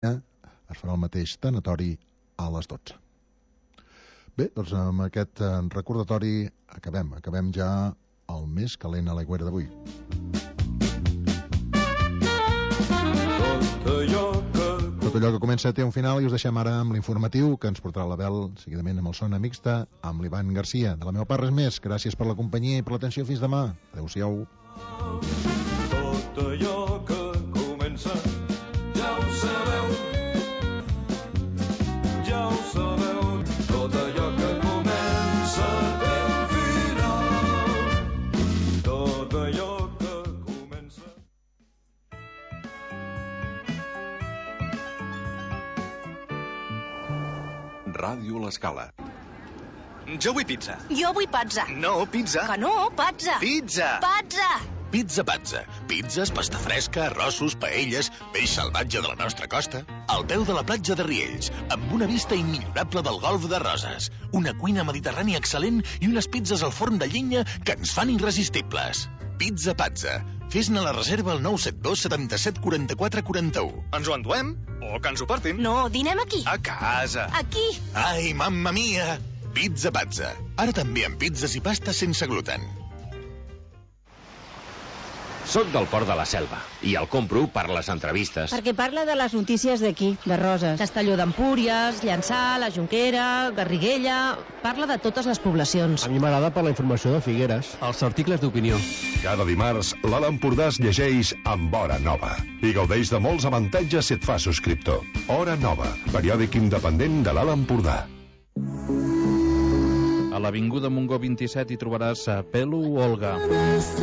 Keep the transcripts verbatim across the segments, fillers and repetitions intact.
es farà el mateix tanatori a les dotze. Bé, doncs amb aquest recordatori acabem, acabem ja el més calent a l'aigüera d'avui. Tot allò que comença té un final i us deixem ara amb l'informatiu que ens portarà l'Abel, seguidament amb el Sona Mixta, amb l'Ivan Garcia. De la meva part res més, gràcies per la companyia i per l'atenció, fins demà. Adéu-siau. Tot allò que comença ja ho sabeu, ja ho sabeu. Tot allò que comença té un final. Tot allò que comença... Ràdio L'Escala. Jo vull pizza. Jo vull pizza. No, pizza. Que no, pizza. Pizza. Pizza. Pizza Pazza. Pizzas, pasta fresca, arrossos, paelles, peix salvatge de la nostra costa, al peu de la platja de Riells, amb una vista immillorable del golf de Roses, una cuina mediterrània excel·lent i unes pizzas al forn de llenya que ens fan irresistibles. Pizza Pazza. Fes-ne la reserva al nou set dos setanta-set quaranta-quatre quaranta-u. Ens ho enduem? O que ens ho portin? No, dinem aquí. A casa. Aquí. Ai, mamma mia! Pizza Pazza. Ara també amb pizzas i pastes sense gluten. Soc del Port de la Selva i el compro per les entrevistes. Perquè parla de les notícies d'aquí, de Roses. Castelló d'Empúries, Llançà, la Jonquera, Garriguella... Parla de totes les poblacions. A mi m'agrada per la informació de Figueres. Els articles d'opinió. Cada dimarts, l'Alt Empordà es llegeix amb Hora Nova i gaudeix de molts avantatges si et fa subscriptor. Hora Nova, periòdic independent de l'Alt Empordà. A l'Avinguda Montgó vint-i-set hi trobaràs a Pelo Olga,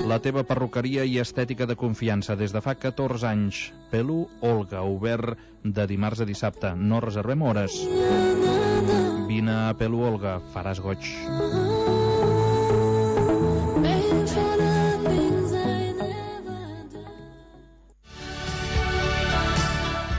la teva perruqueria i estètica de confiança des de fa catorze anys. Pelo Olga, obert de dimarts a dissabte. No reservem hores. Vine a Pelo Olga, faràs goig.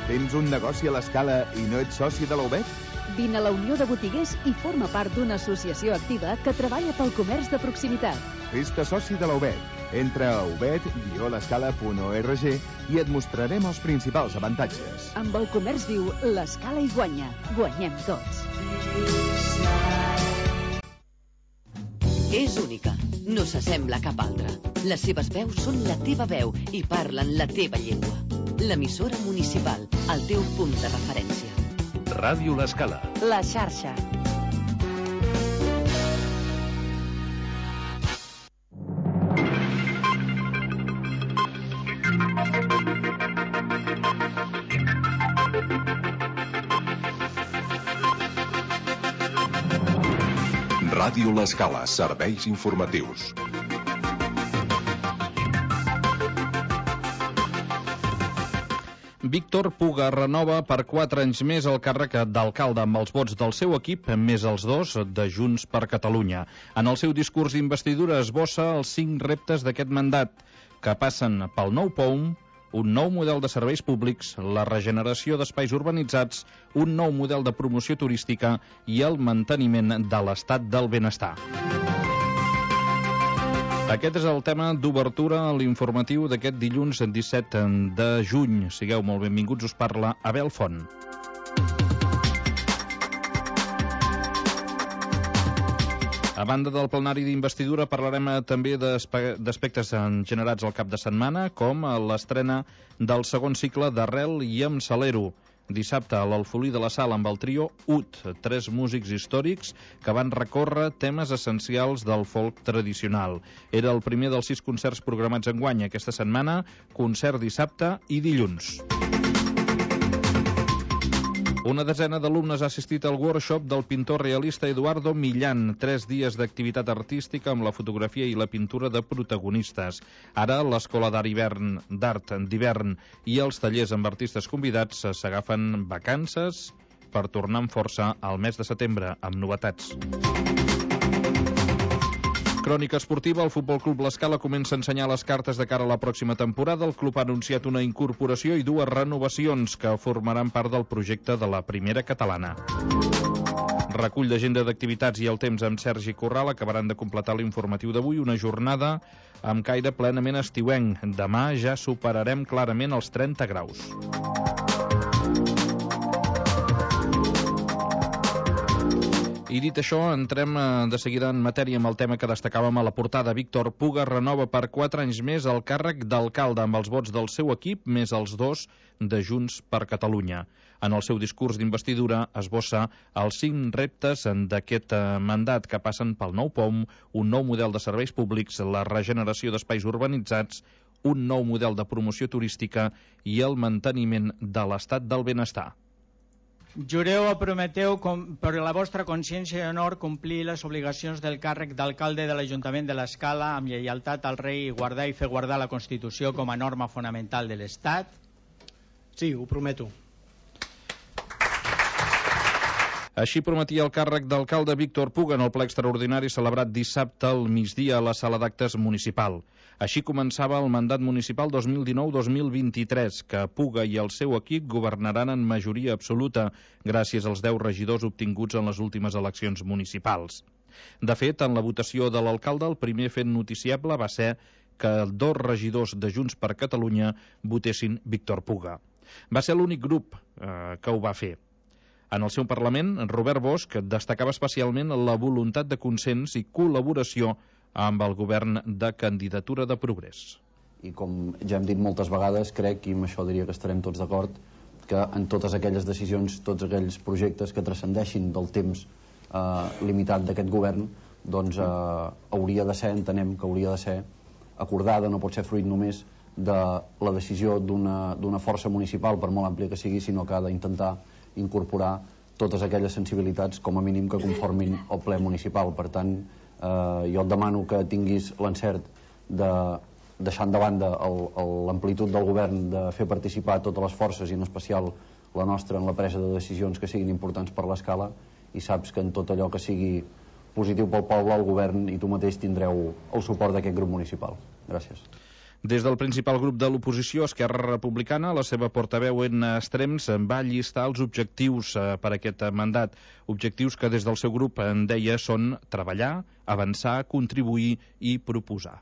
Tens un negoci a l'Escala i no ets soci de la U B E T? Vine a la Unió de Botiguers i forma part d'una associació activa que treballa pel comerç de proximitat. Fes-te soci de la U B E T. Entra a ubet guió l'escala punt org i et mostrarem els principals avantatges. Amb el comerç viu, l'Escala hi guanya. Guanyem tots. És única. No s'assembla a cap altra. Les seves veus són la teva veu i parlen la teva llengua. L'emissora municipal, el teu punt de referència. Ràdio L'Escala. La xarxa. Ràdio L'Escala, serveis informatius. Víctor Puga renova per quatre anys més el càrrec d'alcalde amb els vots del seu equip, més els dos de Junts per Catalunya. En el seu discurs d'investidura esbossa els cinc reptes d'aquest mandat, que passen pel nou P O U M, un nou model de serveis públics, la regeneració d'espais urbanitzats, un nou model de promoció turística i el manteniment de l'estat del benestar. Aquest és el tema d'obertura a l'informatiu d'aquest dilluns disset de juny. Sigueu molt benvinguts, us parla Abel Font. A banda del plenari d'investidura parlarem també d'aspectes generats al cap de setmana, com l'estrena del segon cicle d'Arrel i amb Salero. Dissabte a l'Alfolí de la Sala amb el trio U T, tres músics històrics que van recórrer temes essencials del folk tradicional. Era el primer dels sis concerts programats enguany aquesta setmana, concert dissabte i dilluns. Una desena d'alumnes ha assistit al workshop del pintor realista Eduardo Millán, tres dies d'activitat artística amb la fotografia i la pintura de protagonistes. Ara l'Escola d'Art d'hivern i els tallers amb artistes convidats s'agafen vacances per tornar amb força al mes de setembre amb novetats. Crònica esportiva, el Futbol Club L'Escala comença a ensenyar les cartes de cara a la pròxima temporada. El club ha anunciat una incorporació i dues renovacions que formaran part del projecte de la primera catalana. Recull d'agenda d'activitats i el temps amb Sergi Corral acabaran de completar l'informatiu d'avui, una jornada amb caire plenament estiuenc. Demà ja superarem clarament els trenta graus. I dit això, entrem de seguida en matèria amb el tema que destacàvem a la portada. Víctor Puga renova per quatre anys més el càrrec d'alcalde amb els vots del seu equip més els dos de Junts per Catalunya. En el seu discurs d'investidura esbossa els cinc reptes d'aquest mandat que passen pel nou P O M, un nou model de serveis públics, la regeneració d'espais urbanitzats, un nou model de promoció turística i el manteniment de l'estat del benestar. Jureu o prometeu per la vostra consciència i honor complir les obligacions del càrrec d'alcalde de l'Ajuntament de l'Escala amb lleialtat al rei i guardar i fer guardar la Constitució com a norma fonamental de l'Estat? Sí, ho prometo. Així prometia el càrrec d'alcalde Víctor Puga en el ple extraordinari celebrat dissabte al migdia a la sala d'actes municipal. Així començava el mandat municipal dos mil dinou dos mil vint-i-tres, que Puga i el seu equip governaran en majoria absoluta gràcies als deu regidors obtinguts en les últimes eleccions municipals. De fet, en la votació de l'alcalde, el primer fet noticiable va ser que dos regidors de Junts per Catalunya votessin Víctor Puga. Va ser l'únic grup eh, que ho va fer. En el seu Parlament, Robert Bosch destacava especialment la voluntat de consens i col·laboració amb el govern de candidatura de progrés. I com ja hem dit moltes vegades, crec, i amb això diria que estarem tots d'acord, que en totes aquelles decisions, tots aquells projectes que transcendeixin del temps eh, limitat d'aquest govern, doncs eh, hauria de ser, entenem que hauria de ser acordada, no pot ser fruit només de la decisió d'una d'una força municipal, per molt àmplia que sigui, sinó que ha d'intentar incorporar totes aquelles sensibilitats com a mínim que conformin el ple municipal. Per tant, eh, jo et demano que tinguis l'encert de deixant de banda l'amplitud del govern de fer participar totes les forces i en especial la nostra en la presa de decisions que siguin importants per l'Escala, i saps que en tot allò que sigui positiu pel poble el govern i tu mateix tindreu el suport d'aquest grup municipal. Gràcies. Des del principal grup de l'oposició, Esquerra Republicana, la seva portaveu en extrems va llistar els objectius per aquest mandat. Objectius que des del seu grup en deia són treballar, avançar, contribuir i proposar.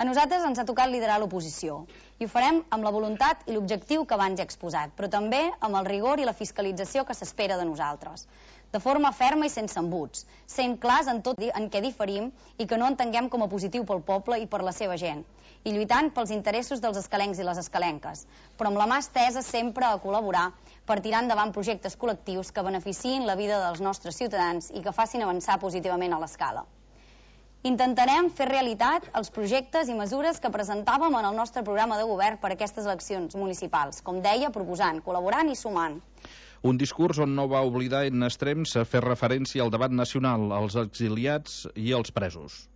A nosaltres ens ha tocat liderar l'oposició i ho farem amb la voluntat i l'objectiu que abans he exposat, però també amb el rigor i la fiscalització que s'espera de nosaltres. De forma ferma i sense embuts, sent clars en tot en què diferim i que no entenguem com a positiu pel poble i per la seva gent, i lluitant pels interessos dels escalencs i les escalenques, però amb la mà estesa sempre a col·laborar per tirar endavant projectes col·lectius que beneficiïn la vida dels nostres ciutadans i que facin avançar positivament a l'Escala. Intentarem fer realitat els projectes i mesures que presentàvem en el nostre programa de govern per a aquestes eleccions municipals, com deia, proposant, col·laborant i sumant. Un discurs on no va oblidar en extrems a fer referència al debat nacional, als exiliats i als presos.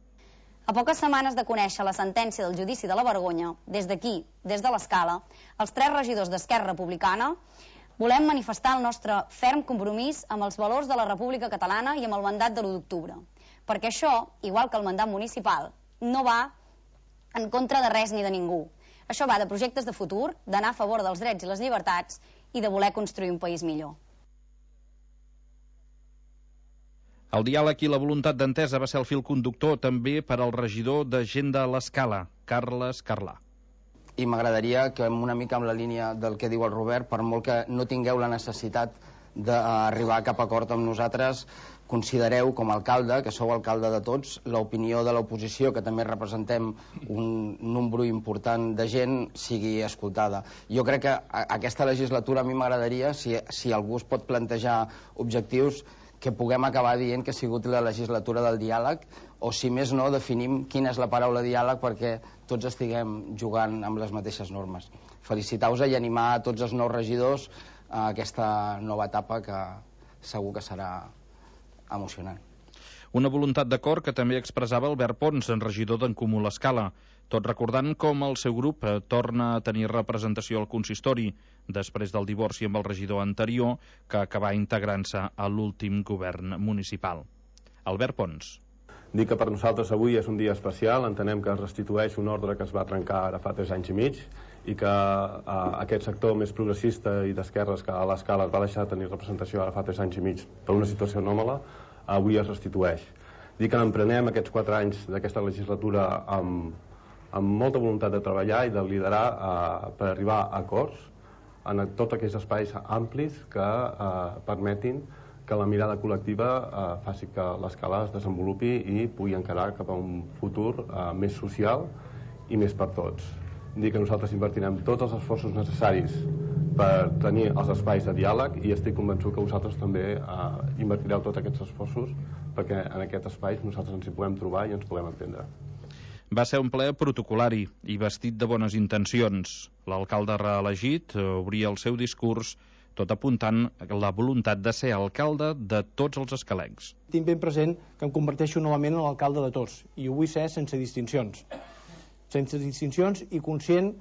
A poques setmanes de conèixer la sentència del judici de la vergonya, des d'aquí, des de l'Escala, els tres regidors d'Esquerra Republicana volem manifestar el nostre ferm compromís amb els valors de la República Catalana i amb el mandat de l'u d'octubre. Perquè això, igual que el mandat municipal, no va en contra de res ni de ningú. Això va de projectes de futur, d'anar a favor dels drets i les llibertats i de voler construir un país millor. El diàleg i la voluntat d'entesa va ser el fil conductor també per al regidor de Gent de l'Escala, Carles Carlà. I m'agradaria que una mica amb la línia del que diu el Robert, per molt que no tingueu la necessitat d'arribar a cap acord amb nosaltres, considereu com a alcalde, que sou alcalde de tots, l'opinió de l'oposició, que també representem un nombre important de gent, sigui escoltada. Jo crec que aquesta legislatura a mi m'agradaria, si, si algú es pot plantejar objectius, que puguem acabar dient que ha sigut la legislatura del diàleg, o si més no, definim quina és la paraula diàleg perquè tots estiguem jugant amb les mateixes normes. Felicitar-vos i animar a tots els nous regidors a aquesta nova etapa que segur que serà emocionant. Una voluntat d'acord que també expressava Albert Pons, en regidor d'en Comú l'Escala, tot recordant com el seu grup torna a tenir representació al consistori després del divorci amb el regidor anterior que acabà integrant-se a l'últim govern municipal. Albert Pons. Dic que per nosaltres avui és un dia especial, entenem que es restitueix un ordre que es va trencar ara fa tres anys i mig i que eh, aquest sector més progressista i d'esquerres que a l'Escala va deixar de tenir representació ara fa tres anys i mig per una situació anòmala, avui es restitueix. Dic que emprenem aquests quatre anys d'aquesta legislatura amb, amb molta voluntat de treballar i de liderar eh, per arribar a acords en tots aquells espais amplis que eh, permetin que la mirada col·lectiva eh, faci que l'escala es desenvolupi i pugui encarar cap a un futur eh, més social i més per tots. Dir que nosaltres invertirem tots els esforços necessaris per tenir els espais de diàleg i estic convençut que vosaltres també eh, invertireu tots aquests esforços perquè en aquest espai nosaltres ens hi puguem trobar i ens puguem entendre. Va ser un ple protocolari i vestit de bones intencions. L'alcalde reelegit obria el seu discurs tot apuntant la voluntat de ser alcalde de tots els escalencs. Tinc ben present que em converteixo novament en l'alcalde de tots i ho vull ser sense distincions. Sense distincions i conscient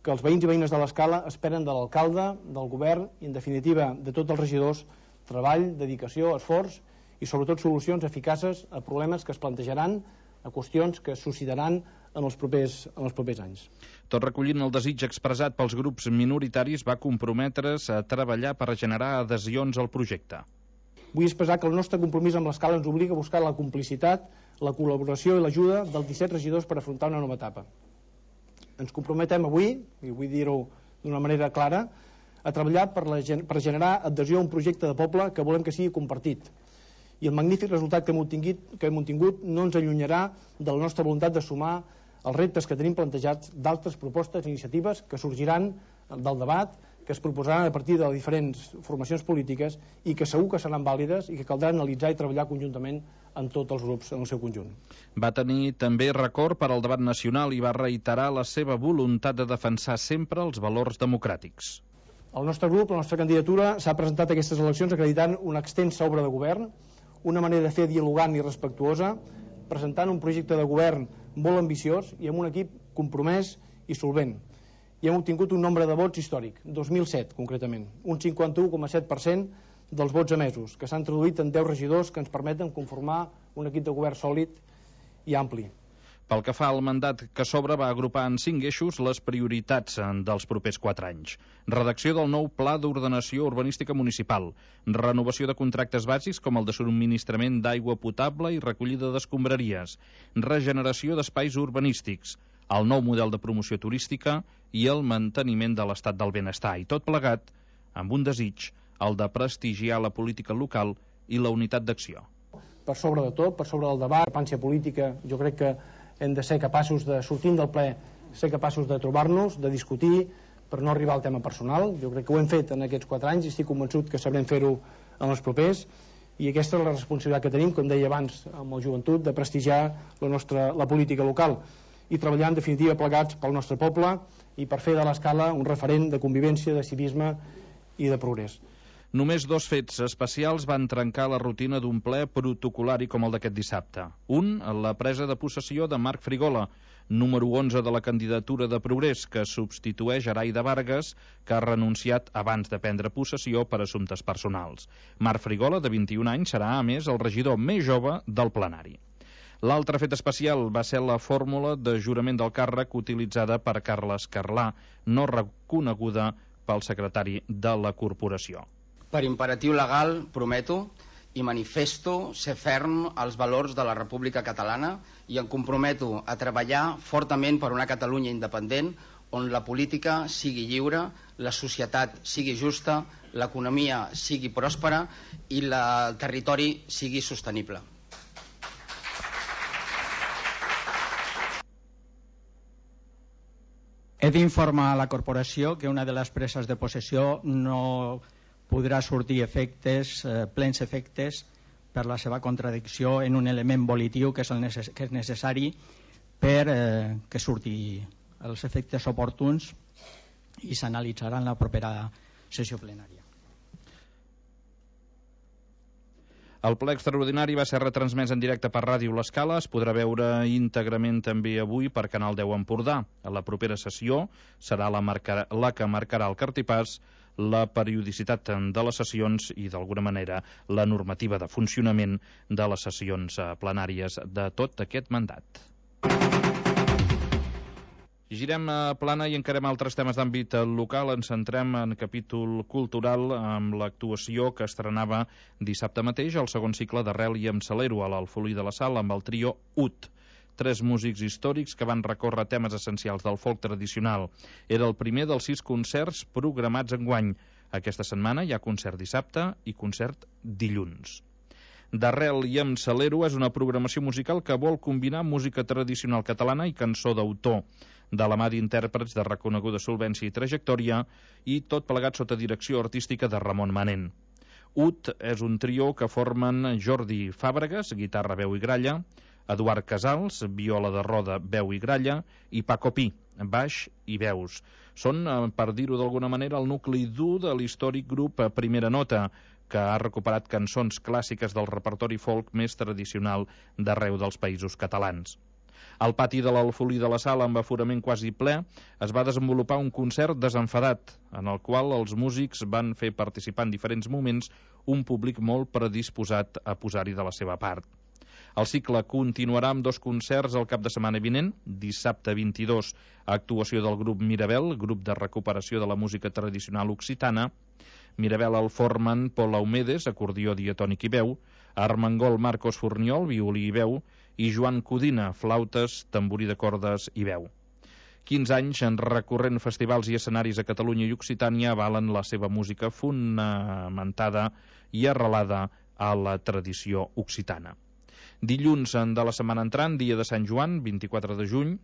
que els veïns i veïnes de l'Escala esperen de l'alcalde, del govern i, en definitiva, de tots els regidors, treball, dedicació, esforç i, sobretot, solucions eficaces a problemes que es plantejaran, a qüestions que es suscitaran en els propers, en els propers anys. Tot recollint el desig expressat pels grups minoritaris, va comprometre's a treballar per generar adhesions al projecte. Vull expressar que el nostre compromís amb l'Escala ens obliga a buscar la complicitat, la col·laboració i l'ajuda dels disset regidors per afrontar una nova etapa. Ens comprometem avui, i vull dir-ho d'una manera clara, a treballar per, la, per generar adhesió a un projecte de poble que volem que sigui compartit. I el magnífic resultat que hem obtingut, que hem obtingut no ens allunyarà de la nostra voluntat de sumar els reptes que tenim plantejats d'altres propostes i iniciatives que sorgiran del debat, que es proposaran a partir de les diferents formacions polítiques i que segur que seran vàlides i que caldrà analitzar i treballar conjuntament amb tots els grups en el seu conjunt. Va tenir també record per al debat nacional i va reiterar la seva voluntat de defensar sempre els valors democràtics. El nostre grup, la nostra candidatura, s'ha presentat a aquestes eleccions acreditant una extensa obra de govern, una manera de fer dialogant i respectuosa, presentant un projecte de govern molt ambiciós i amb un equip compromès i solvent. I hem obtingut un nombre de vots històric, dos mil set concretament, un cinquanta-u coma set per cent dels vots emesos, que s'han traduït en deu regidors que ens permeten conformar un equip de govern sòlid i ampli. Pel que fa al mandat que s'obre, va agrupar en cinc eixos les prioritats dels propers quatre anys. Redacció del nou Pla d'Ordenació Urbanística Municipal, renovació de contractes bàsics com el de subministrament d'aigua potable i recollida d'escombraries, regeneració d'espais urbanístics, el nou model de promoció turística i el manteniment de l'estat del benestar. I tot plegat amb un desig, el de prestigiar la política local i la unitat d'acció. Per sobre de tot, per sobre del debat, la pància política, jo crec que hem de ser capaços de, sortint del ple, ser capaços de trobar-nos, de discutir, per no arribar al tema personal. Jo crec que ho hem fet en aquests quatre anys i estic convençut que sabrem fer-ho en els propers. I aquesta és la responsabilitat que tenim, com deia abans, amb la joventut, de prestigiar la, nostra, la política local i treballar, en definitiva, plegats pel nostre poble i per fer de l'Escala un referent de convivència, de civisme i de progrés. Només dos fets especials van trencar la rutina d'un ple protocolari com el d'aquest dissabte. Un, la presa de possessió de Marc Frigola, número onze de la candidatura de Progrés, que substitueix Araida Vargas, que ha renunciat abans de prendre possessió per assumptes personals. Marc Frigola, de vint-i-un anys, serà, a més, el regidor més jove del plenari. L'altre fet especial va ser la fórmula de jurament del càrrec utilitzada per Carles Carlà, no reconeguda pel secretari de la corporació. Per imperatiu legal, prometo i manifesto ser ferm als valors de la República Catalana i em comprometo a treballar fortament per una Catalunya independent on la política sigui lliure, la societat sigui justa, l'economia sigui pròspera i la, el territori sigui sostenible. He d'informar a la corporació que una de les preses de possessió no podrà sortir efectes, eh, plens efectes per la seva contradicció en un element volitiu que és, el necess que és necessari per eh, que surti els efectes oportuns i s'analitzarà en la propera sessió plenària. El ple extraordinari va ser retransmès en directe per Ràdio L'Escala, es podrà veure íntegrament també avui per Canal deu Empordà. A la propera sessió serà la, marcar, la que marcarà el cartipàs, la periodicitat de les sessions i, d'alguna manera, la normativa de funcionament de les sessions plenàries de tot aquest mandat. Girem a plana i encarem altres temes d'àmbit local. Ens centrem en capítol cultural amb l'actuació que estrenava dissabte mateix el segon cicle d'Arrel i amb Salero a l'Alfolí de la Sal amb el trio U T. Tres músics històrics que van recórrer temes essencials del folk tradicional. Era el primer dels sis concerts programats enguany. Aquesta setmana hi ha concert dissabte i concert dilluns. D'Arrel i em Salero és una programació musical que vol combinar música tradicional catalana i cançó d'autor, de la mà d'intèrprets de reconeguda solvència i trajectòria, i tot plegat sota direcció artística de Ramon Manent. Ut és un trio que formen Jordi Fàbregas, guitarra, veu i gralla, Eduard Casals, viola de roda, veu i gralla, i Paco Pi, baix i veus. Són, per dir-ho d'alguna manera, el nucli dur de l'històric grup Primera Nota, que ha recuperat cançons clàssiques del repertori folk més tradicional d'arreu dels països catalans. Al pati de l'Alfolí de la Sala, amb aforament quasi ple, es va desenvolupar un concert desenfadat, en el qual els músics van fer participar en diferents moments un públic molt predisposat a posar-hi de la seva part. El cicle continuarà amb dos concerts el cap de setmana vinent, dissabte vint-i-dos, actuació del grup Mirabel, grup de recuperació de la música tradicional occitana. Mirabel el formen Pol Aumedes, acordió diatònic i veu, Armengol Marcos Forniol, violí i veu, i Joan Codina, flautes, tamborí de cordes i veu. quinze anys en recorrent festivals i escenaris a Catalunya i Occitània avalen la seva música fonamentada i arrelada a la tradició occitana. Dilluns de la setmana entrant, dia de Sant Joan, vint-i-quatre de juny,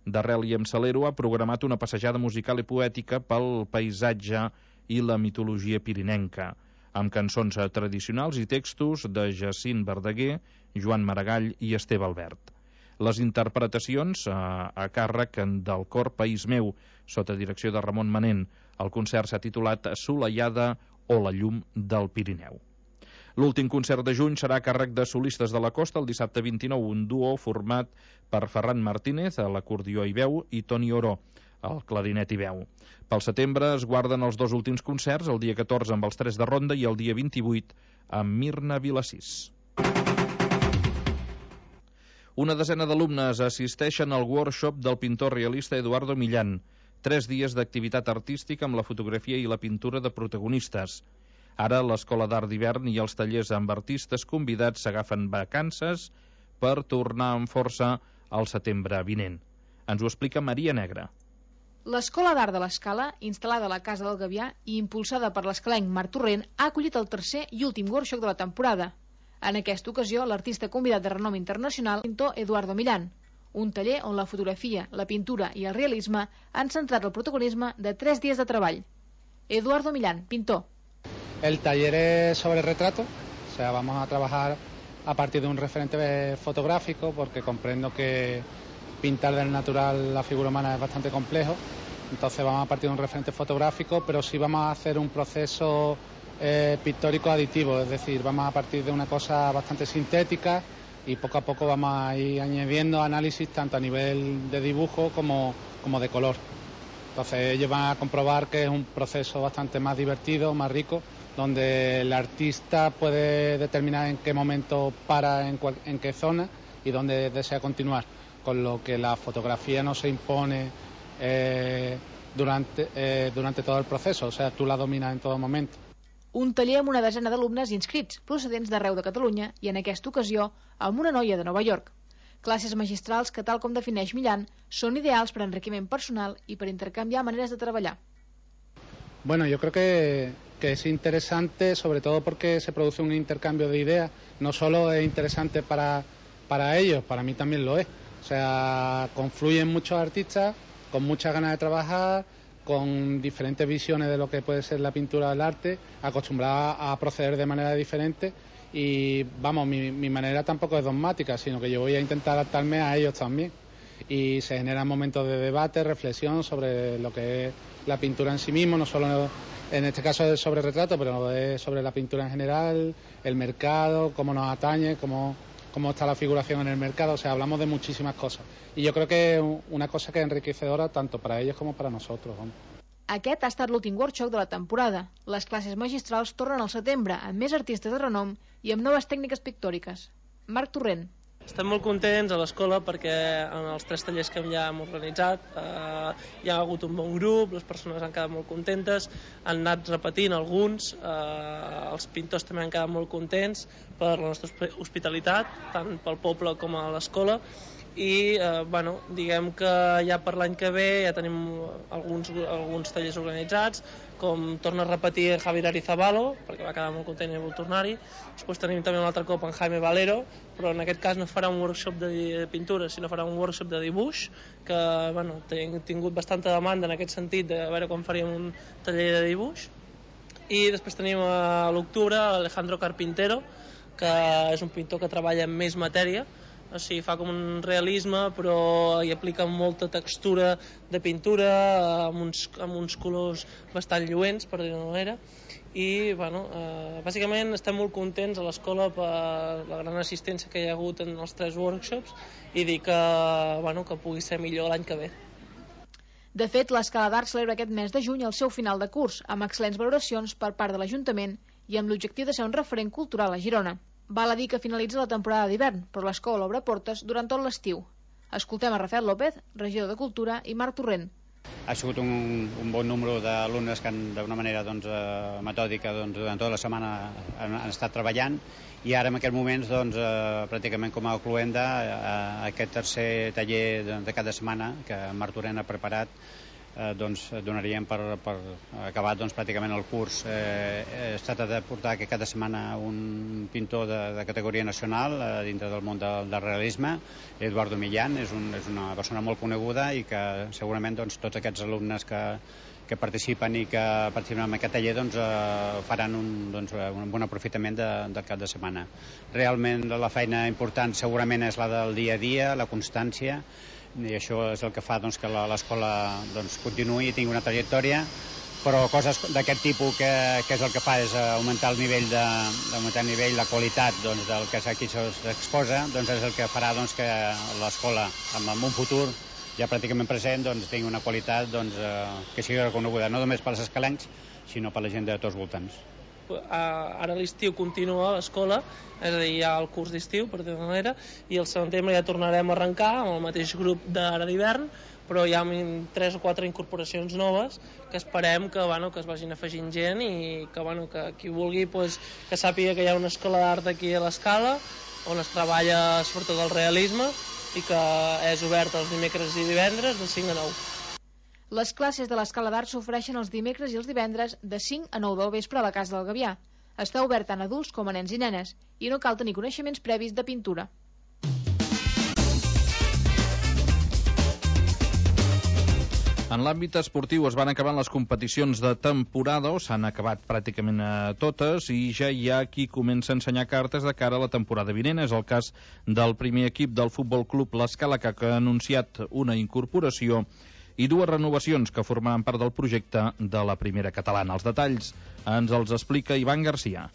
d'Arrel i em Salero ha programat una passejada musical i poètica pel paisatge i la mitologia pirinenca, amb cançons tradicionals i textos de Jacint Verdaguer, Joan Maragall i Esteve Albert. Les interpretacions a, a càrrec del cor País Meu, sota direcció de Ramon Manent. El concert s'ha titulat Solellada o la llum del Pirineu. L'últim concert de juny serà a càrrec de Solistes de la Costa el dissabte vint-i-nou, un duo format per Ferran Martínez, a l'acordió i veu, i Toni Oró, al clarinet i veu. Pel setembre es guarden els dos últims concerts, el dia catorze amb els Tres de Ronda i el dia vint-i-vuit amb Mirna Vilassís. Una desena d'alumnes assisteixen al workshop del pintor realista Eduardo Millán. Tres dies d'activitat artística amb la fotografia i la pintura de protagonistes. Ara l'Escola d'Art d'Hivern i els tallers amb artistes convidats s'agafen vacances per tornar amb força al setembre vinent. Ens ho explica Maria Negra. L'Escola d'Art de l'Escala, instal·lada a la Casa del Gavià i impulsada per l'escalenc Marc Torrent, ha acollit el tercer i últim workshop de la temporada. En aquesta ocasió, l'artista convidat de renom internacional, el pintor Eduardo Millán, un taller on la fotografia, la pintura i el realisme han centrat el protagonisme de tres dies de treball. Eduardo Millán, pintor. El taller es sobre retrato, o sea, vamos a trabajar a partir de un referente fotográfico, porque comprendo que pintar del natural la figura humana es bastante complejo, entonces vamos a partir de un referente fotográfico, pero sí vamos a hacer un proceso eh, pictórico aditivo, es decir, vamos a partir de una cosa bastante sintética y poco a poco vamos a ir añadiendo análisis tanto a nivel de dibujo como, como de color. Entonces ellos van a comprobar que es un proceso bastante más divertido, más rico, donde el artista puede determinar en qué momento para, en, cual, en qué zona y dónde desea continuar, con lo que la fotografía no se impone eh, durante, eh, durante todo el proceso, o sea, tú la dominas en todo momento. Un taller amb una desena d'alumnes inscrits, procedents d'arreu de Catalunya i, en aquesta ocasió, amb una noia de Nova York. Classes magistrals que, tal com defineix Millán, són ideals per enriquiment personal i per intercanviar maneres de treballar. Bueno, yo creo que, que es interesante, sobre todo porque se produce un intercambio de ideas. No solo es interesante para, para ellos, para mí también lo es. O sea, confluyen muchos artistas con muchas ganas de trabajar, con diferentes visiones de lo que puede ser la pintura del arte, acostumbradas a proceder de manera diferente. Y vamos, mi, mi manera tampoco es dogmática, sino que yo voy a intentar adaptarme a ellos también. Y se generan momentos de debate, reflexión sobre lo que es la pintura en sí mismo, no solo en este caso es sobre retrato, pero es sobre la pintura en general, el mercado, cómo nos atañe, cómo, cómo está la figuración en el mercado. O sea, hablamos de muchísimas cosas. Y yo creo que es una cosa que es enriquecedora tanto para ellos como para nosotros. Vamos. Aquest ha estat l'últim workshop de la temporada. Les classes magistrals tornen al setembre amb més artistes de renom i amb noves tècniques pictòriques. Marc Torrent. Estem molt contents a l'escola perquè en els tres tallers que ja hem organitzat eh, hi ha hagut un bon grup, les persones han quedat molt contentes, han anat repetint alguns, eh, els pintors també han quedat molt contents per la nostra hospitalitat, tant pel poble com a l'escola, i eh, bueno, diguem que ja per l'any que ve ja tenim alguns, alguns tallers organitzats, com torna a repetir Javier Arizabalo, perquè va quedar molt content i vol tornar-hi. Després tenim també un altre cop en Jaime Valero, però en aquest cas no farà un workshop de pintura, sinó farà un workshop de dibuix, que bueno, hem tingut bastanta demanda en aquest sentit, de veure quan faríem un taller de dibuix. I després tenim a l'octubre Alejandro Carpintero, que és un pintor que treballa amb més matèria, o sigui, fa com un realisme, però hi aplica molta textura de pintura, amb uns, amb uns colors bastant lluents, per dir-ho d'una manera. I, bueno, eh, bàsicament estem molt contents a l'escola per la gran assistència que hi ha hagut en els tres workshops i dir que, bueno, que pugui ser millor l'any que ve. De fet, l'Escala d'Art celebra aquest mes de juny el seu final de curs, amb excel·lents valoracions per part de l'Ajuntament i amb l'objectiu de ser un referent cultural a Girona. Val a dir que finalitza la temporada d'hivern, però l'escola obre portes durant tot l'estiu. Escoltem a Rafael López, regidor de Cultura, i Marc Torrent. Ha sigut un, un bon número d'alumnes que han, d'una manera doncs, eh, metòdica doncs, durant tota la setmana han, han estat treballant i ara en aquests moments doncs, eh, pràcticament com a cluenda eh, aquest tercer taller de, de cada setmana que Marc Torrent ha preparat eh, doncs, donaríem per, per acabar doncs, pràcticament el curs. Eh, es tracta de portar que cada setmana un pintor de, de categoria nacional eh, dintre del món del, del realisme, Eduardo Millán, és, un, és una persona molt coneguda i que segurament doncs, tots aquests alumnes que, que participen i que participen en aquest taller doncs, eh, faran un, doncs, un bon aprofitament de, del cap de setmana. Realment la feina important segurament és la del dia a dia, la constància, i això és el que fa doncs, que l'escola doncs, continuï i tingui una trajectòria, però coses d'aquest tipus que, que és el que fa és augmentar el nivell, de, augmentar el nivell la qualitat doncs, del que aquí s'exposa, doncs és el que farà doncs, que l'escola en, en un futur ja pràcticament present doncs, tingui una qualitat doncs, eh, que sigui reconeguda no només pels escalencs sinó per la gent de tots els voltants. Ara l'estiu continua a l'escola, és a dir, hi ha el curs d'estiu, per dir-ho d'una manera, i al setembre ja tornarem a arrencar amb el mateix grup d'ara d'hivern, però hi ha tres o quatre incorporacions noves que esperem que, bueno, que es vagin afegint gent i que, bueno, que qui vulgui pues, que sàpiga que hi ha una escola d'art aquí a l'Escala on es treballa sobretot el realisme i que és obert els dimecres i divendres de cinc a nou. Les classes de l'Escala d'Art s'ofereixen els dimecres i els divendres de cinc a nou del vespre a la Casa del Gavià. Està obert tant a adults com a nens i nenes i no cal tenir coneixements previs de pintura. En l'àmbit esportiu es van acabant les competicions de temporada, o s'han acabat pràcticament totes, i ja hi ha qui comença a ensenyar cartes de cara a la temporada vinent. És el cas del primer equip del Futbol Club l'Escala, que ha anunciat una incorporació i dues renovacions que formaran part del projecte de la primera catalana. Els detalls ens els explica Ivan Garcia.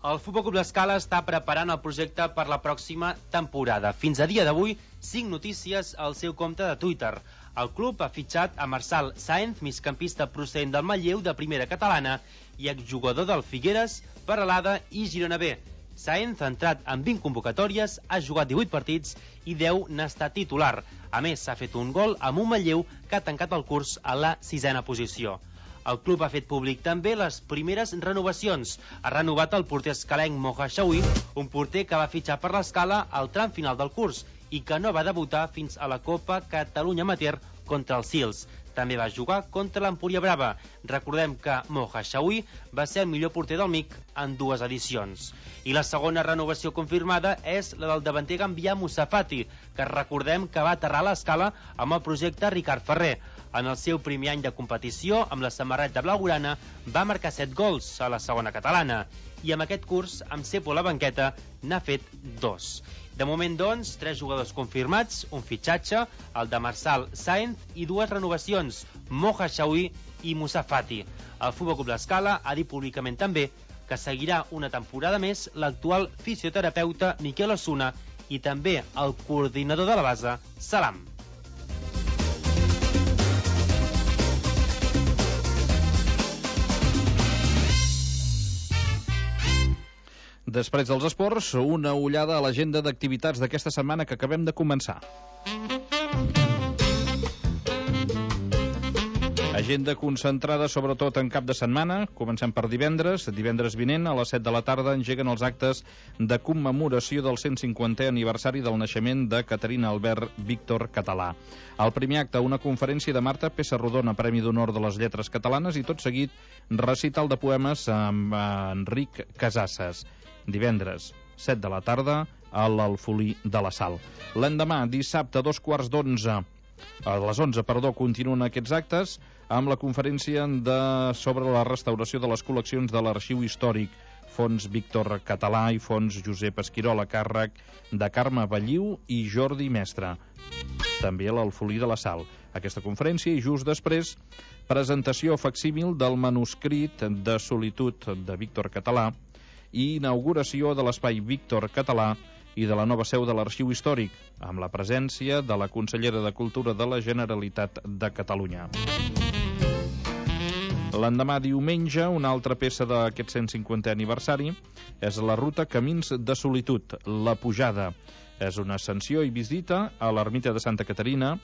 El Futbol Club l'Escala està preparant el projecte per la pròxima temporada. Fins a dia d'avui, cinc notícies al seu compte de Twitter. El club ha fitxat a Marçal Sáenz, migcampista procedent del Manlleu de primera catalana i exjugador del Figueres, Peralada i Girona B. Sáenz ha entrat en vint convocatòries, ha jugat divuit partits i deu n'ha estat titular. A més, s'ha fet un gol amb un Manlleu que ha tancat el curs a la sisena posició. El club ha fet públic també les primeres renovacions. Ha renovat el porter escalenc Moja Xaui, un porter que va fitxar per l'Escala al tram final del curs i que no va debutar fins a la Copa Catalunya Amateur contra els Sils. També va jugar contra l'Empúria Brava. Recordem que Moja Xaui va ser el millor porter del M I C en dues edicions. I la segona renovació confirmada és la del davanter gambià Moussa Fati, que recordem que va aterrar a l'Escala amb el projecte Ricard Ferrer. En el seu primer any de competició, amb la samarreta blaugrana, va marcar set gols a la segona catalana. I amb aquest curs, amb Cepo a la banqueta, n'ha fet dos. De moment, doncs, tres jugadors confirmats, un fitxatge, el de Marçal Sáenz i dues renovacions, Moja Xaui i Moussa Fati. El Futbol Club l'Escala ha dit públicament també que seguirà una temporada més l'actual fisioterapeuta Miquel Osuna i també el coordinador de la base, Salam. Després dels esports, una ullada a l'agenda d'activitats d'aquesta setmana que acabem de començar. Agenda concentrada sobretot en cap de setmana. Comencem per divendres. Divendres vinent a les set de la tarda engeguen els actes de commemoració del cent cinquantè aniversari del naixement de Caterina Albert Víctor Català. Al primer acte, una conferència de Marta Pessarrodona, Premi d'Honor de les Lletres Catalanes, i tot seguit recital de poemes amb Enric Casasses. Divendres, set de la tarda, a l'Alfolí de la Sal. L'endemà, dissabte, a dos quarts d'onze, a les onze, perdó, continuen aquests actes amb la conferència de, sobre la restauració de les col·leccions de l'Arxiu Històric, Fons Víctor Català i Fons Josep Esquirol, a càrrec de Carme Balliu i Jordi Mestre. També a l'Alfolí de la Sal. Aquesta conferència i just després presentació facsímil del manuscrit de Solitud de Víctor Català i inauguració de l'espai Víctor Català i de la nova seu de l'Arxiu Històric, amb la presència de la consellera de Cultura de la Generalitat de Catalunya. L'endemà, diumenge, una altra peça d'aquest cent cinquantè aniversari és la ruta Camins de Solitud, La Pujada. És una ascensió i visita a l'ermita de Santa Caterina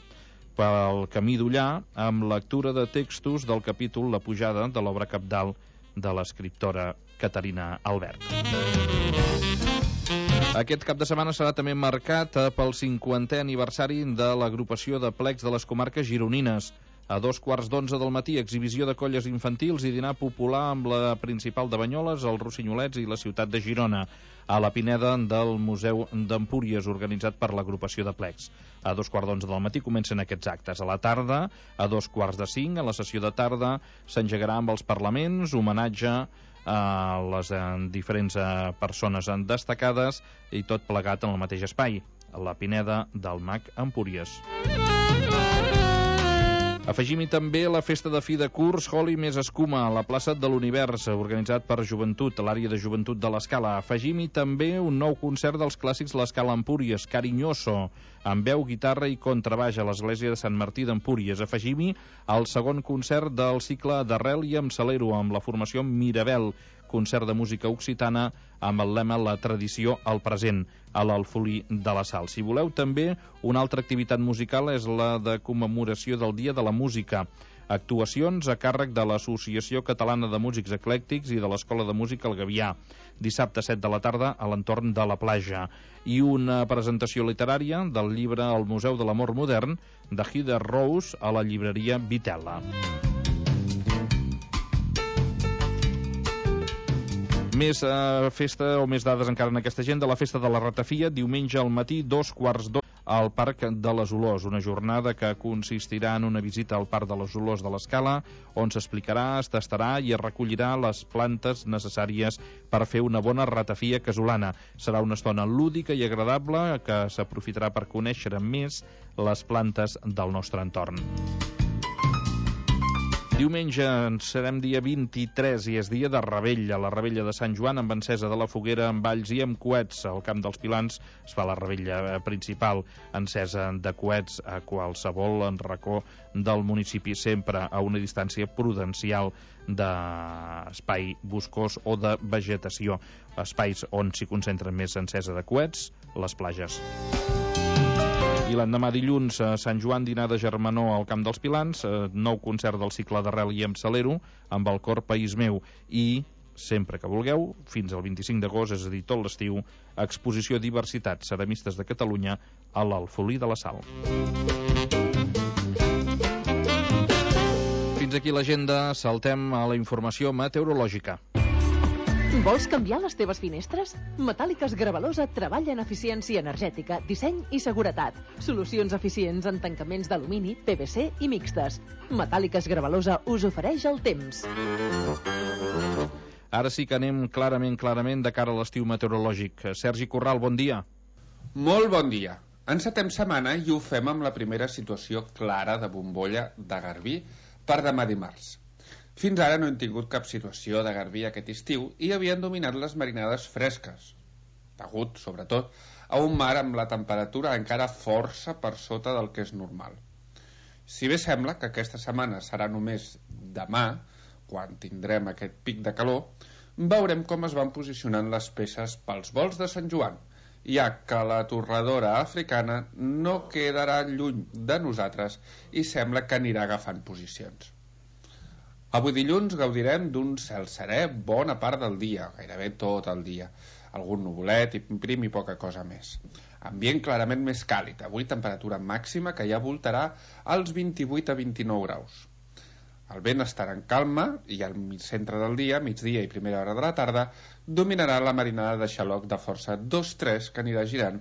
pel camí d'Ullà amb lectura de textos del capítol La Pujada de l'obra cabdal de l'escriptora Caterina Albert. Aquest cap de setmana serà també marcat pel cinquantè aniversari de l'agrupació de plecs de les comarques gironines. A dos quarts d'onze del matí, exhibició de colles infantils i dinar popular amb la principal de Banyoles, els Rossinyolets i la ciutat de Girona, a la Pineda del Museu d'Empúries, organitzat per l'agrupació de plecs. A dos quarts d'onze del matí comencen aquests actes. A la tarda, a dos quarts de cinc, a la sessió de tarda, s'engegarà amb els parlaments, homenatge a les diferents persones destacades i tot plegat en el mateix espai, a la Pineda del Mag Empúries. Afegim-hi també la festa de fi de curs Holi més escuma a la plaça de l'Univers, organitzat per Joventut, a l'àrea de Joventut de l'Escala. Afegim-hi també un nou concert dels clàssics l'Escala Empúries, Carinyoso, amb veu, guitarra i contrabaix a l'església de Sant Martí d'Empúries. Afegim-hi el segon concert del cicle d'Arrel i amb Salero, amb la formació Mirabel, concert de música occitana amb el lema La tradició al present, a l'Alfolí de la Sal. Si voleu, també una altra activitat musical és la de commemoració del Dia de la Música. Actuacions a càrrec de l'Associació Catalana de Músics Eclèctics i de l'Escola de Música El Gavià, dissabte set de la tarda a l'entorn de la platja. I una presentació literària del llibre El Museu de l'Amor Modern de Heather Rose a la llibreria Vitella. Més eh, festa o més dades encara en aquesta agenda. La festa de la ratafia, diumenge al matí, dos quarts d'hora, al Parc de les Olors. Una jornada que consistirà en una visita al Parc de les Olors de l'Escala, on s'explicarà, es tastarà i es recollirà les plantes necessàries per fer una bona ratafia casolana. Serà una estona lúdica i agradable que s'aprofitarà per conèixer més les plantes del nostre entorn. Diumenge serem dia vint-i-tres i és dia de revetlla, la revetlla de Sant Joan amb encesa de la foguera, amb balls i amb coets. Al Camp dels Pilans es fa la revetlla principal, encesa de coets a qualsevol racó del municipi, sempre a una distància prudencial d'espai boscós o de vegetació. Espais on s'hi concentren més encesa de coets, les platges. I l'endemà dilluns, a Sant Joan, dinar de germanor al Camp dels Pilans, nou concert del cicle d'Arrel i amb Salero, amb el cor País Meu, i, sempre que vulgueu, fins al vint-i-cinc d'agost, és a dir, tot l'estiu, exposició Diversitat, ceramistes de Catalunya, a l'Alfolí de la Sal. Fins aquí l'agenda, saltem a la informació meteorològica. Vols canviar les teves finestres? Metàl·liques Gravalosa treballa en eficiència energètica, disseny i seguretat. Solucions eficients en tancaments d'alumini, P V C i mixtes. Metàl·liques Gravalosa us ofereix el temps. Ara sí que anem clarament, clarament de cara a l'estiu meteorològic. Sergi Corral, bon dia. Molt bon dia. Encetem setmana i ho fem amb la primera situació clara de bombolla de garbí per demà dimarts. Fins ara no hem tingut cap situació de garbí aquest estiu i havien dominat les marinades fresques, degut, sobretot, a un mar amb la temperatura encara força per sota del que és normal. Si bé sembla que aquesta setmana serà només demà, quan tindrem aquest pic de calor, veurem com es van posicionant les peces pels volts de Sant Joan, ja que la torradora africana no quedarà lluny de nosaltres i sembla que anirà agafant posicions. Avui dilluns gaudirem d'un cel serè bona part del dia, gairebé tot el dia. Algun nuvolet i prim i poca cosa més. Ambient clarament més càlid, avui temperatura màxima que ja voltarà als vint-i-vuit a vint-i-nou graus. El vent estarà en calma i al centre del dia, migdia i primera hora de la tarda, dominarà la marinada de xaloc de força dos tres que anirà girant